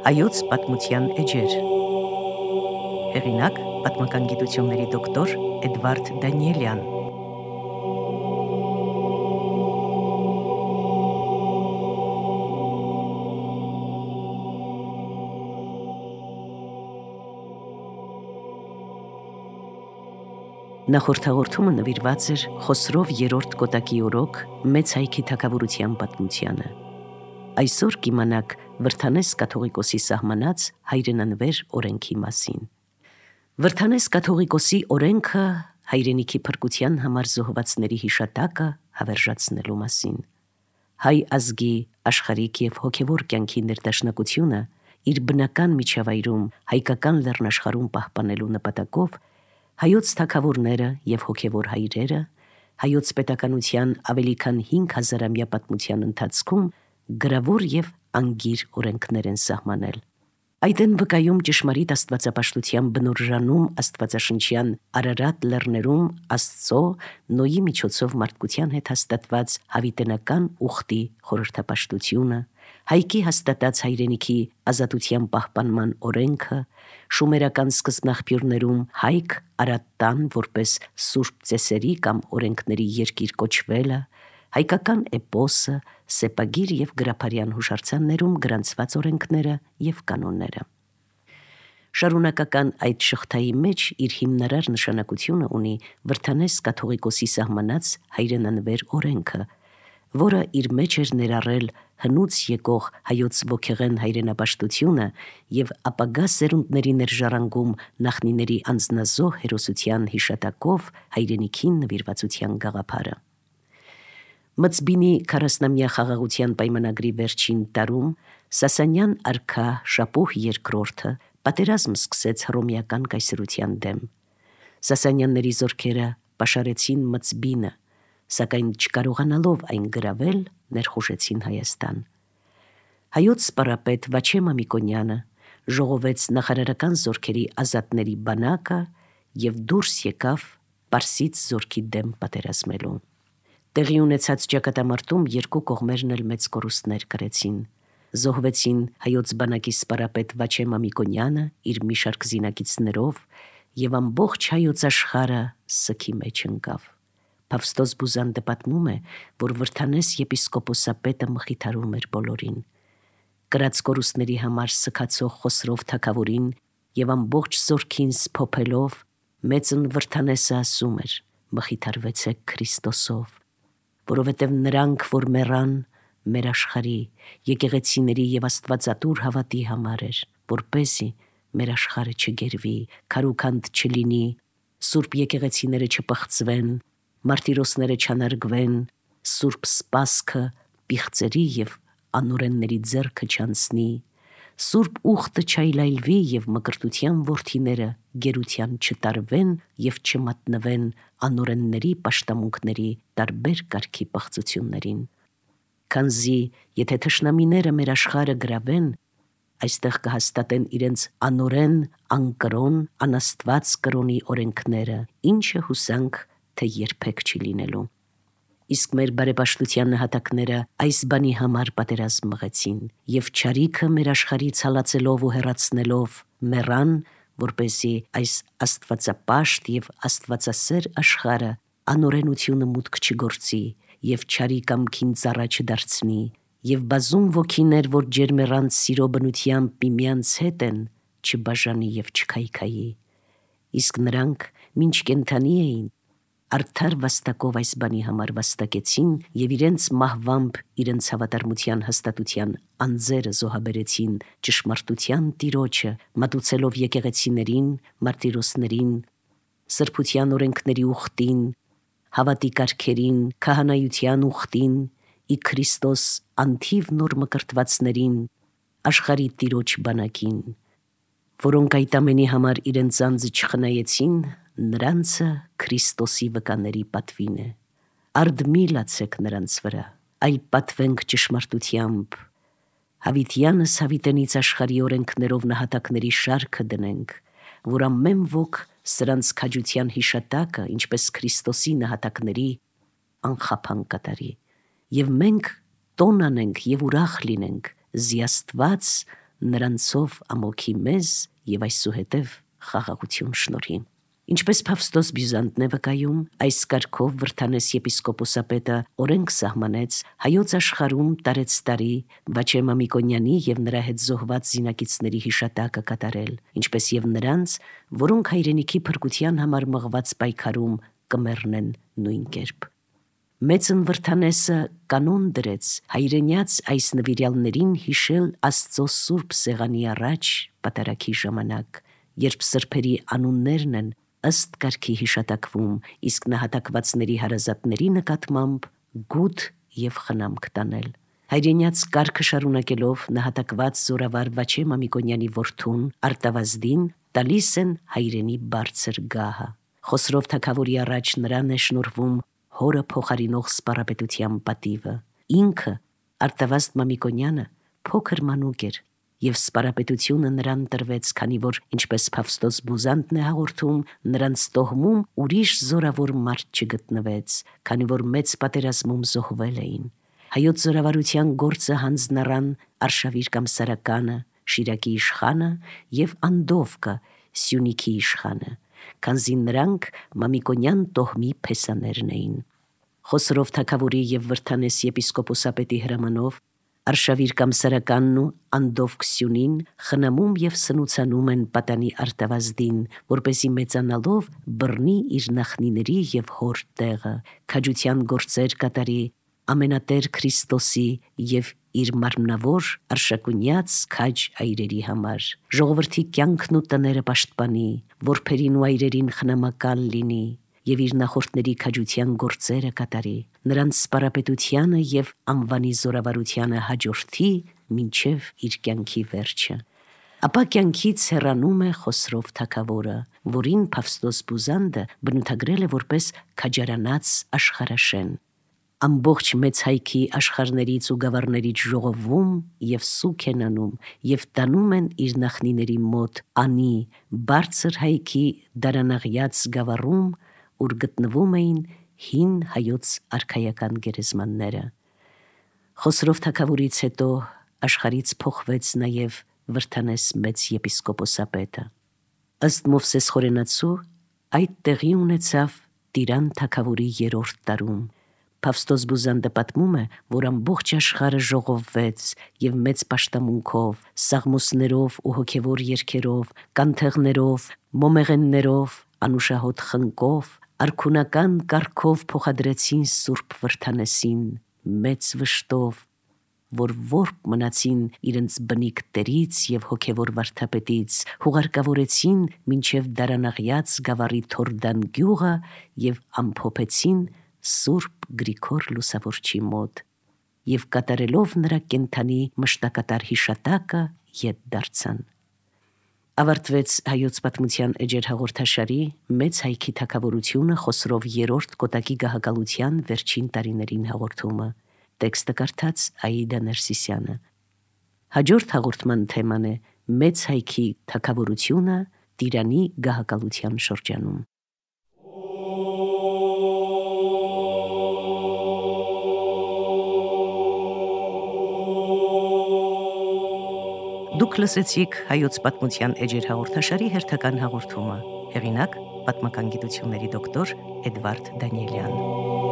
Հայոց պատմության էջեր։ Հեղինակ պատմական գիտությունների դոկտոր Էդվարդ Դանիելյան։ Նախորդ հաղորդումը նվիրված էր Խոսրով երրորդ Կոտակի օրոք մեծ հայքի թագավորության պատմությանը։ Այսօր կիմանաք Վրդանես կաթողիկոսի սահմանած հայրենանվեր օրենքի մասին։ Վրդանես կաթողիկոսի օրենքը հայրենիքի փրկության համար զոհվածների հիշատակը հավերժացնելու մասին։ Հայ ազգի աշխարհիկ եւ հոգեվոր կյանքի ներդաշնակությունը իր բնական միջավայրում հայկական լեռնաշխարհում պահպանելու նպատակով հայոց թագավորները եւ հոգեվոր հայրերը հայոց պետականության ավելի քան 5000-ամյա պատմության ընթացքում գրավոր եւ անգիր օրենքներ են սահմանել։ Այդ են վկայում ճշմարիտ աստվածապաշտության բնորժանում աստվածաշնչյան Արարատ լեռներում Աստծո Նոյի միջոցով մարդկության հետ հաստատված հավիտենական ուխտի խորհրդապաշտությունը, հայքի հաստատած հայրենիքի ազատության պահպանման օրենքը, շումերական սկզբնաղբյուրներում հայք Արատ տան որպես սուրբ ծեսերի կամ օրենքների երկիր կոչվելը, հայկական էպոսը, սեպագիր եւ գրափարյան հուշարձաններում գրանցված օրենքները եւ կանոնները։ Շարունակական այդ շղթայի մեջ իր հիմնարար նշանակությունը ունի Վրդանես կաթողիկոսի սահմանած հայրենանվեր օրենքը, որը իր մեջ էր ներառել հնուց եկող հայոց ոգեղեն հայրենապաշտությունը եւ ապագա սերունդների ներժառանգում նախնիների անձնազոհ հերոսության հիշատակով հայրենիքին նվիրվածության գաղափարը։ Մծբինի 40-ամյա խաղաղության պայմանագրի վերջին տարում Սասանյան արքա Շապուհ II պատերազմ սկսեց հռոմեական կայսրության դեմ։ Սասանյանների զորքերը պաշարեցին Մծբինը, սակայն չկարողանալով այն գրավել, ներխուժեցին Հայաստան։ Հայոց սպառապետ Վաչե Մամիկոնյանը ժողովեց նախարարական զորքերի ազատների բանակը եւ դուրս եկավ Պարսից զորքի դեմ պատերազմելու։ Տեղի ունեցած ճակատամարտում երկու կողմերն էլ մեծ կորուստներ կրեցին։ Զոհվեցին հայոց բանակի սպառապետ Վաչե Մամիկոնյանը իր մի շարք զինակիցներով եւ ամբողջ հայոց աշխարհը սքի մեջ ընկավ։ Փավստոս Բուզանդը պատմում է, որ Վրդանես եպիսկոպոսապետը մխիթարում էր բոլորին։ Կրած կորուստների համար սքացող Խոսրով թագավորին եւ ամբողջ զորքին սփոփելով մեծն Վրդանեսը ասում էր. «Մխիթարվեցեք Քրիստոսով, որովհետև նրանք, որ մեռան, մեր աշխարհի եկեղեցիների եւ աստվածատուր հավատի համար էր, որպեսզի մեր աշխարհը չգերվի, քարուքանդ չլինի, սուրբ եկեղեցիները չպղծվեն, մարտիրոսները չանարգվեն, սուրբ սպասքը պիղծերի եւ անօրենների ձեռքը չանցնի, սուրբ ուխտը չայլայլվի եւ մկրտության որդիները գերության չտարվեն եւ չմատնվեն անօրենների պաշտամունքների տարբեր կարգի պղծություններին։ Քանզի եթե թշնամիները մեր աշխարհը գրավեն, այստեղ կհաստատեն իրենց անօրեն, անկրոն, անաստված կրոնի օրենքները, ինչը հուսանք, թե երբեք չի լինելու։ Իսկ մեր բարեպաշտության նահատակները այս բանի համար պատերազմ մղեցին եւ չարիքը մեր աշխարհից հալածելով ու հեռացնելով մեռան, որպեսզի այս աստվածապաշտ եւ աստվածասեր աշխարհը անօրենությունը մուտք չգործի եւ չարի կամքին ծառա չդարձնի եւ բազում ոգիներ, որ ջերմեռանց սիրո բնությամբ միմյանց հետ են, չբաժանի եւ չքայքայի։ Իսկ նրանք մինչ կենթանի էին, արդար վաստակով այս բանի համար վաստակեցին եւ իրենց մահվամբ իրենց հավատարմության հաստատության անձերը զոհաբերեցին ճշմարտության տիրոջը, մատուցելով եկեղեցիներին, մարտիրոսներին, սրբության օրենքների ուխտին, հավատի կարգերին, քահանայության ուխտին, ի Քրիստոս անթիվ նոր մկրտվածներին, աշխարհի տիրոջ բանակին, որոնք այդ ամենի համար իրենց անձը չխնայեցին, նրանցը Քրիստոսի վկաների պատվին է։ Արդ մի լացեք նրանց վրա, այլ պատվենք ճշմարտությամբ։ Հավիտյանս հավիտենից աշխարհի օրենքներով նահատակների շարքը դնենք, որ ամեն ոք սրանց քաջության հիշատակը, ինչպես Քրիստոսի նահատակների, անխափան կատարի։ Եվ մենք տոն անենք եւ ուրախ լինենք, զի Աստված նրանցով ամոքի մեզ եւ այսուհետև խաղաղություն շնորհի։ Ինչպես Փավստոս Բյուզանդն է վկայում, այս կարգով Վրդանես եպիսկոպոսապետը օրենք սահմանեց հայոց աշխարհում տարեցտարի Վաչե Մամիկոնյանի եւ նրա հետ զոհված զինակիցների հիշատակը կատարել, ինչպես եւ նրանց, որոնք հայրենիքի փրկության համար մղված պայքարում կմեռնեն նույն կերպ։ Մեծն Վրդանեսը կանոն դրեց հայրենյաց այս նվիրյալներին հիշել Աստծո Սուրբ Սեղանի առաջ պատարագի ժամանակ, երբ սրբերի անուններն են ըստ կարգի հիշատակվում, իսկ նահատակվածների հարազատների նկատմամբ գութ եւ խնամք տանել։ Հայրենյաց կարգը շարունակելով նահատակված զորավար Վաչե Մամիկոնյանի որդուն Արտավազդին տալիս են հայրենի բարձր գահը։ Խոսրով թագավորի առաջ նրան է շնորհվում հորը փոխարինող սպառապետության պատիվը։ Ինքը Արտավազդ Մամիկոնյանը փոքր մանուկ էր եւ սպառապետությունը նրան տրվեց, քանի որ ինչպես Փավստոս Բյուզանդն է հաղորդում, նրանց տոհմում ուրիշ զորավոր մարդ չգտնվեց, քանի որ մեծ պատերազմում զոհվել էին։ Հայոց զորավարության գործը հանձնառան Արշավիր կամ Սարականը, Շիրակի իշխանը եւ Անդովկը, Սյունիքի իշխանը, քանզի նրանք Մամիկոնյան տոհմի փեսաներն էին։ Խոսրով թագավորի եւ Վրդանես եպիսկոպոսապետի հրամանով Արշավիր կամ Սարականն ու Անդովկ Սյունին խնամում եւ սնուցանում են պատանի Արտավազդին, որպեսի մեծանալով բռնի իր նախնիների եւ հոր տեղը, քաջության գործեր կատարի ամենատեր Քրիստոսի եւ իր մարմնավոր արշակունյաց քաջ այրերի համար, ժողովրդի կյանքն ու տները պաշտպանի, որբերին ու այրերին խնամակալ լինի եւ իր նախորդների քաջության գործերը կատարի, նրանց սպառապետությանը եւ անվանի զորավարությանը հաջորդի մինչեւ իր կյանքի վերջը։ Ապա կյանքից հեռանում է Խոսրով թագավորը, որին Փավստոս Բյուզանդը բնութագրել է որպես քաջարանած աշխարհաշեն։ Ամբողջ մեծ հայքի աշխարհներից ու գավառներից ժողովում եւ սուք են անում եւ տանում են իր նախնիների մոտ անի բարձր հայքի դարանաղյաց գավառում, ուր գտնվում էին հին հայոց արքայական գերեզմանները։ Խոսրով թագավորից հետո աշխարհից փոխվեց նաեւ Վրդանես մեծ եպիսկոպոսապետը։ Ըստ Մովսես Խորենացու այդ տեղի ունեցավ Տիրան թագավորի 3-րդ տարում։ Փավստոս Բյուզանդը պատմում է, որ ամբողջ աշխարհը ժողովվեց եւ մեծ պաշտամունքով, սաղմոսներով ու հոգևոր երգերով, կանթեղներով, մոմեղեններով, անուշահոտ խնկով, արքունական կարգով փոխադրեցին Սուրբ Վրդանեսին մեծ վշտով, որ որբ մնացին իրենց բնիկ տերից եւ հոգևոր վարդապետից, հուղարկավորեցին մինչեւ դարանաղյաց գավառի Թորդան գյուղը եւ ամփոփեցին Սուրբ Գրիգոր Լուսավորչի մոտ եւ կատարելով նրա կենթանի մշտակատար հիշատակը ետ դարձան։ Ավարտվեց հայոց պատմության էջեր հաղորդաշարի մեծ հայքի թագավորությունը Խոսրով 3-րդ կոտակի գահակալության վերջին տարիներին հաղորդումը։ Տեքստը կարդաց Աիդա Ներսիսյանը։ Հաջորդ հաղորդման թեման է մեծ հայքի թագավորությունը Տիրանի գահակալության շրջանում։ Դուք լսեցիք հայոց պատմության էջեր հաղորդաշարի հերթական հաղորդումը։ Հեղինակ պատմական գիտությունների դոկտոր Էդվարդ Դանիելյան։